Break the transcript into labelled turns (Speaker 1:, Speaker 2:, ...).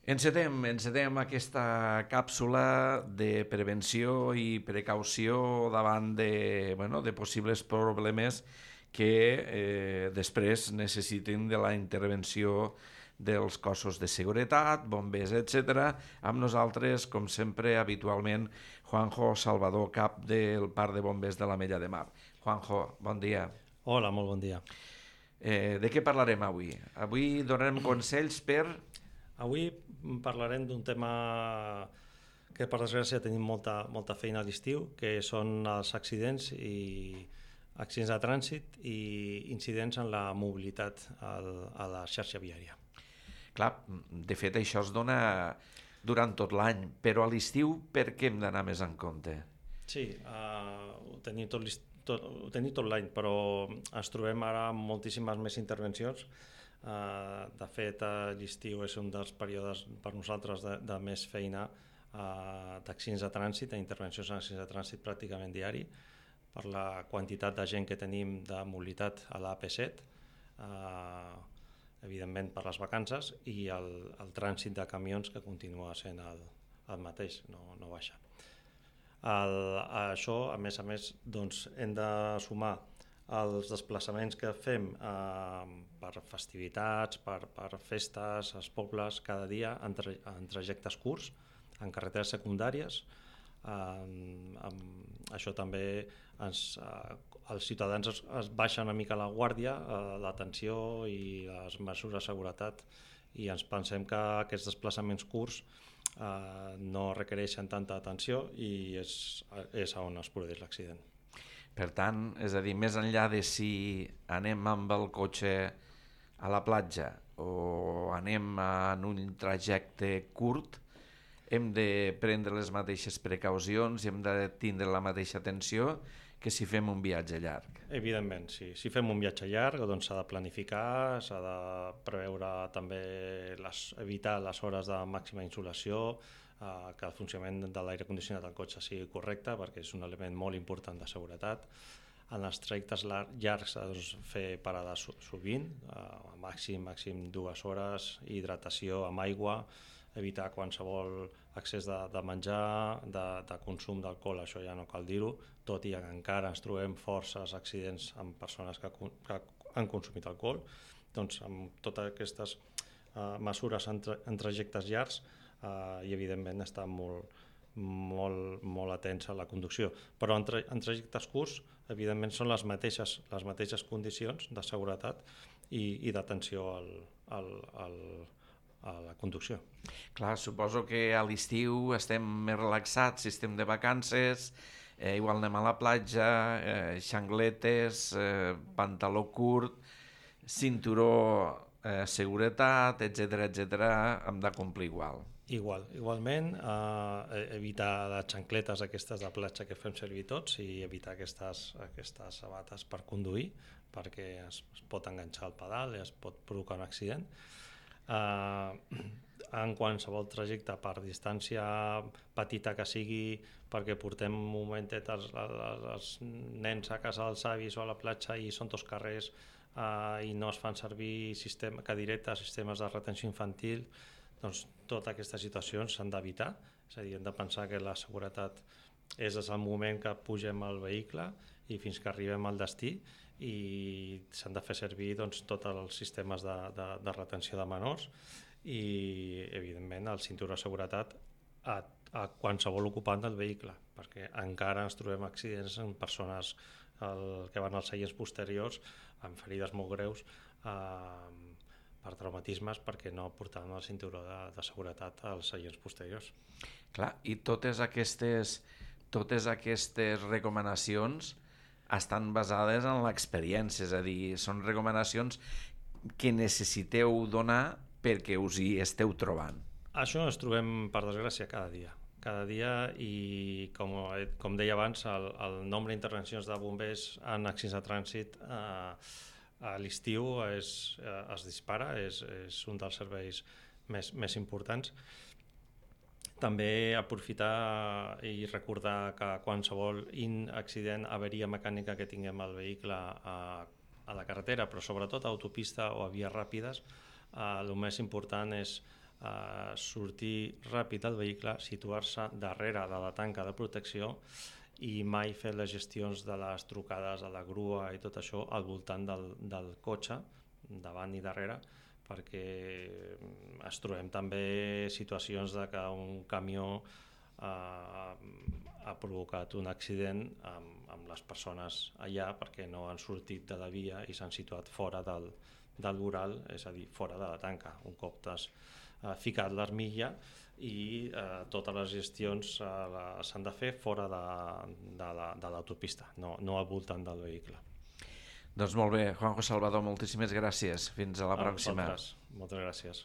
Speaker 1: Encetem aquesta càpsula de prevenció i precaució davant de possibles problemes que després necessitin de la intervenció dels cossos de seguretat, bombers, etc. Amb nosaltres, com sempre, habitualment, Juanjo Salvador, cap del Parc de Bombers de l'Ametlla de Mar. Juanjo, bon dia.
Speaker 2: Hola, molt bon dia.
Speaker 1: De què parlarem avui? Avui donarem consells per...
Speaker 2: Avui parlarem d'un tema que per desgràcia tenim molta feina a l'estiu, que són els accidents de trànsit i incidents en la mobilitat a la xarxa viària.
Speaker 1: Clar, de fet això es dona durant tot l'any, però a l'estiu per què hem d'anar més en compte?
Speaker 2: Sí, ho tenim tot l'any, però ens trobem ara amb moltíssimes més intervencions. De fet, l'estiu és un dels períodes per nosaltres de més feina d'accidents de trànsit, d'intervencions en accidents de trànsit pràcticament diari, per la quantitat de gent que tenim de mobilitat a l'AP7, evidentment per les vacances, i el trànsit de camions que continua sent el mateix, no baixa. Això, a més, doncs, hem de sumar els desplaçaments que fem per festivitats, per festes, als pobles, cada dia en trajectes curts, en carreteres secundàries. Això també els ciutadans es baixen una mica la guàrdia, l'atenció i les mesures de seguretat, i ens pensem que aquests desplaçaments curts no requereixen tanta atenció i és on es produeix l'accident.
Speaker 1: Per tant, és a dir, més enllà de si anem amb el cotxe a la platja o anem en un trajecte curt, hem de prendre les mateixes precaucions i hem de tindre la mateixa atenció que si fem un viatge llarg.
Speaker 2: Evidentment, sí. Si fem un viatge llarg, doncs s'ha de planificar, s'ha de preveure també evitar les hores de màxima insolació, que el funcionament de l'aire condicionat del cotxe sigui correcte, perquè és un element molt important de seguretat. En els trajectes llargs s'ha de fer parades sovint, màxim 2 hores, hidratació amb aigua, evitar qualsevol excés de menjar, de consum d'alcohol, això ja no cal dir-ho, tot i que encara ens trobem forces accidents amb persones que han consumit alcohol. Doncs amb totes aquestes mesures en trajectes llargs i evidentment estar molt atents a la conducció. Però en trajectes curts, evidentment, són les mateixes condicions de seguretat i d'atenció a la conducció.
Speaker 1: Clar, suposo que a l'estiu estem més relaxats, si estem de vacances, igual anem a la platja, xangletes, pantaló curt, cinturó, seguretat, etc., hem de complir igual.
Speaker 2: Igualment, evitar les xancletes aquestes de platja que fem servir tots i evitar aquestes sabates per conduir, perquè es pot enganxar el pedal i es pot provocar un accident. En qualsevol trajecte, per distància petita que sigui, perquè portem un momentet els nens a casa dels avis o a la platja i són tots carrers i no es fan servir cadiretes, sistemes de retenció infantil, doncs totes aquestes situacions s'han d'evitar. És a dir, hem de pensar que la seguretat és des del moment que pugem al vehicle i fins que arribem al destí, i s'han de fer servir doncs, tots els sistemes de retenció de menors i, evidentment, el cinturó de seguretat a qualsevol ocupant del vehicle, perquè encara ens trobem accidents en persones que van als seients posteriors amb ferides molt greus per traumatismes perquè no portaven el cinturó de seguretat als seients posteriors.
Speaker 1: Clar, i totes aquestes recomanacions estan basades en l'experiència, és a dir, són recomanacions que necessiteu donar perquè us hi esteu trobant.
Speaker 2: Això ens trobem, per desgràcia, cada dia, i com deia abans, el nombre d'intervencions de bombers en accidents de trànsit a l'estiu es dispara, és un dels serveis més importants. També aprofitar i recordar que qualsevol accident, avaria mecànica que tinguem al vehicle a la carretera, però sobretot a autopista o a vies ràpides, el més important és sortir ràpid del vehicle, situar-se darrere de la tanca de protecció i mai fer les gestions de les trucades a la grua i tot això al voltant del cotxe, davant i darrere, perquè es trobem també situacions de que un camió ha provocat un accident amb les persones allà perquè no han sortit de la via i s'han situat fora del voral, és a dir, fora de la tanca. Un cop t'has ficat l'armilla i totes les gestions s'han de fer fora de l'autopista, no al voltant del vehicle.
Speaker 1: Doncs molt bé, Juanjo Salvador, moltíssimes gràcies. Fins a la pròxima.
Speaker 2: Moltes gràcies.